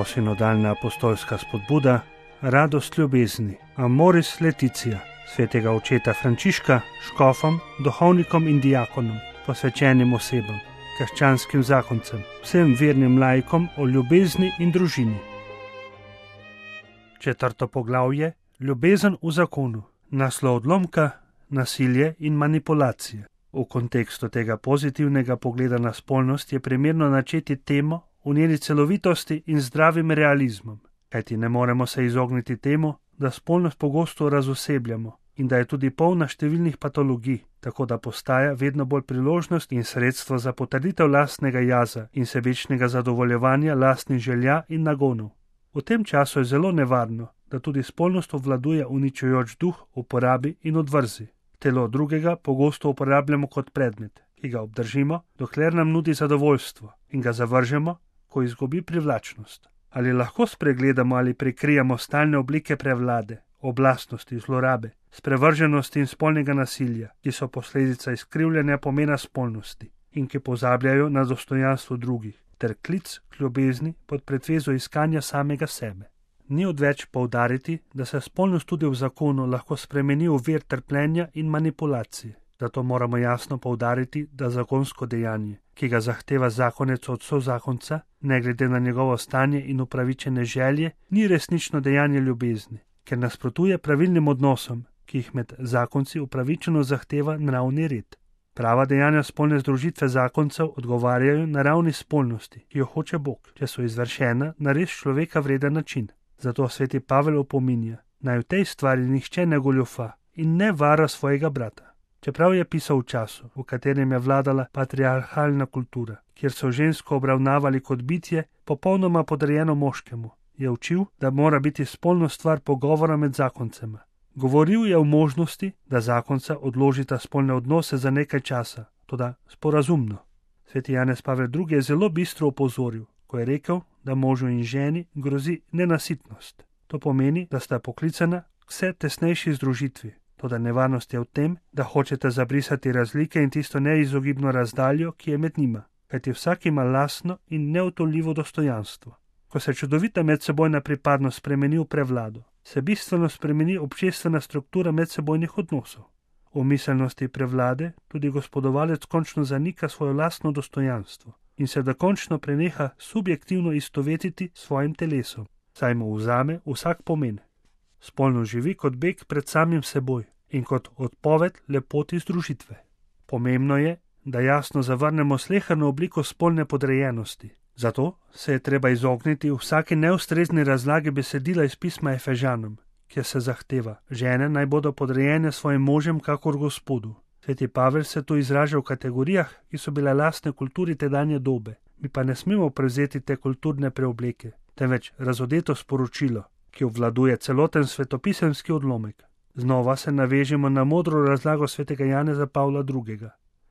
novosinodalna apostolska spodbuda, radost ljubezni, Amoris Laetitia, svetega očeta Frančiška, škofom, duhovnikom in diakonom, posvečenim osebam, krščanskim zakoncem, vsem vernim laikom o ljubezni in družini. 4. poglavje, ljubezen v zakonu, naslov odlomka, nasilje in manipulacije. V kontekstu tega pozitivnega pogleda na spolnost je primerno načeti temo v njeni celovitosti in zdravim realizmom, kajti ne moremo se izogniti temu, da spolnost pogosto razosebljamo in da je tudi polna številnih patologij, tako da postaja vedno bolj priložnost in sredstvo za potrditev lastnega jaza in sebičnega zadovoljevanja lastnih želja in nagonov. V tem času je zelo nevarno, da tudi spolnost obvladuje uničujoč duh uporabi in odvrzi. Telo drugega pogosto uporabljamo kot predmet, ki ga obdržimo, dokler nam nudi zadovoljstvo, in ga zavržemo, ko izgubi privlačnost. Ali lahko spregledamo ali prikrijemo stalne oblike prevlade, oblastnosti, zlorabe, sprevrženosti in spolnega nasilja, ki so posledica izkrivljanja pomena spolnosti in ki pozabljajo na dostojanstvo drugih, ter klic k ljubezni pod pretvezo iskanja samega sebe. Ni odveč poudariti, da se spolnost tudi v zakonu lahko spremeni v vir trpljenja in manipulacije. Zato moramo jasno poudariti, da zakonsko dejanje, ki ga zahteva zakonec od sozakonca, ne glede na njegovo stanje in upravičene želje, ni resnično dejanje ljubezni, ker nasprotuje pravilnim odnosom, ki jih med zakonci upravičeno zahteva nravni red. Prava dejanja spolne združitve zakoncev odgovarjajo na ravni spolnosti, ki jo hoče Bog, če so izvršena na res človeka vreden način. Zato sveti Pavel opominja, naj v tej stvari nihče ne goljufa in ne vara svojega brata. Čeprav je pisal v času, v katerem je vladala patriarhalna kultura, kjer so žensko obravnavali kot bitje, popolnoma podrejeno moškemu, je učil, da mora biti spolna stvar pogovora med zakoncema. Govoril je o možnosti, da zakonca odložita spolne odnose za nekaj časa, toda sporazumno. Sveti Janez Pavel II. Je zelo bistro opozoril, ko je rekel, da možu in ženi grozi nenasitnost. To pomeni, da sta poklicana k vse tesnejši združitvi. Toda nevarnost je v tem, da hočete zabrisati razlike in tisto neizogibno razdaljo, ki je med njima, kajti vsak ima lastno in neutoljivo dostojanstvo. Ko se čudovita medsebojna pripadnost spremeni v prevlado, se bistveno spremeni občestvena struktura medsebojnih odnosov. V miselnosti prevlade tudi gospodovalec končno zanika svoje lastno dostojanstvo in se dokončno preneha subjektivno istovetiti s svojim telesom, saj mu vzame vsak pomen. Spolno živi kot beg pred samim seboj in kot odpoved lepoti združitve. Pomembno je, da jasno zavrnemo sleherno obliko spolne podrejenosti. Zato se je treba izogniti vsaki neustrezni razlagi besedila iz pisma Efežanom, kjer se zahteva, žene naj bodo podrejene svojim možem kakor Gospodu. Sveti Pavel se tu izraža v kategorijah, ki so bile lastne kulturi tedanje dobe. Mi pa ne smemo prevzeti te kulturne preobleke, temveč razodeto sporočilo, ki obvladuje celoten svetopisemski odlomek. Znova se navežemo na modro razlago svetega Janeza Pavla II.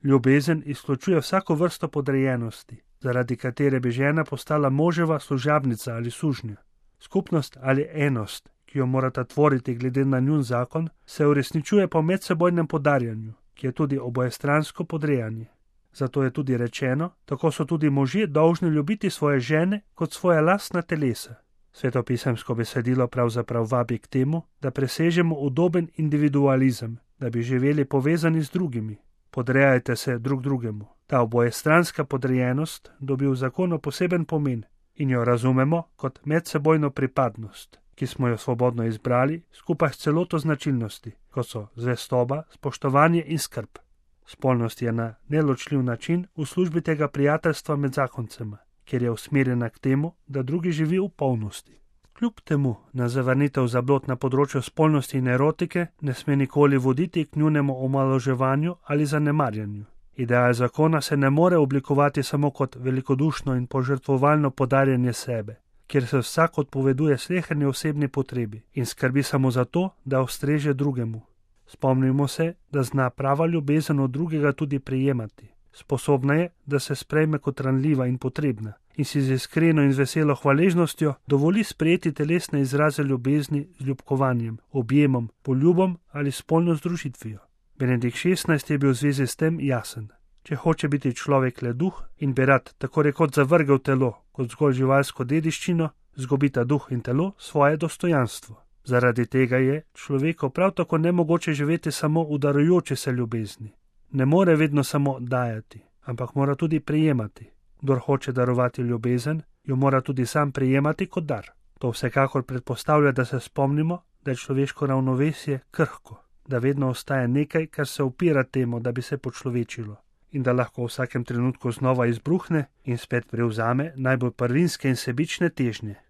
Ljubezen izključuje vsako vrsto podrejenosti, zaradi katere bi žena postala moževa služabnica ali sužnja. Skupnost ali enost, ki jo morata tvoriti glede na njun zakon, se uresničuje po medsebojnem podarjanju, ki je tudi obojestransko podrejanje. Zato je tudi rečeno, tako so tudi možje dolžni ljubiti svoje žene kot svoja lastna telesa. Svetopisemsko besedilo pravzaprav vabi k temu, da presežemo udoben individualizem, da bi živeli povezani z drugimi. Podrejajte se drug drugemu. Ta obojestranska podrejenost dobi v zakonu poseben pomen in jo razumemo kot medsebojno pripadnost, ki smo jo svobodno izbrali skupaj s celoto značilnosti, kot so zvestoba, spoštovanje in skrb. Spolnost je na neločljiv način v službi tega prijateljstva med zakoncema, kjer je usmerjena k temu, da drugi živi v polnosti. Kljub temu na zavrnitev zablod na področju spolnosti in erotike ne sme nikoli voditi k njunemu omalovaževanju ali zanemarjanju. Ideal zakona se ne more oblikovati samo kot velikodušno in požrtvovalno podarjanje sebe, kjer se vsak odpoveduje sleherni osebni potrebi in skrbi samo za to, da ustreže drugemu. Spomnimo se, da zna prava ljubezen od drugega tudi prijemati. Sposobna je, da se sprejme kot ranljiva in potrebna in si z iskreno in veselo hvaležnostjo dovoli sprejeti telesne izraze ljubezni z ljubkovanjem, objemom, poljubom ali spolno združitvijo. Benedikt XVI. Je bil v zvezi s tem jasen. Če hoče biti človek le duh in bi rad tako rekoč zavrgel telo kot zgolj živalsko dediščino, zgubita duh in telo svoje dostojanstvo. Zaradi tega je človeku prav tako nemogoče živeti samo v darujoči se ljubezni. Ne more vedno samo dajati, ampak mora tudi prejemati. Kdor hoče darovati ljubezen, jo mora tudi sam prejemati kot dar. To vsekakor predpostavlja, da se spomnimo, da je človeško ravnovesje krhko, da vedno ostaja nekaj, kar se upira temu, da bi se počlovečilo, in da lahko v vsakem trenutku znova izbruhne in spet prevzame najbolj prvinske in sebične težnje.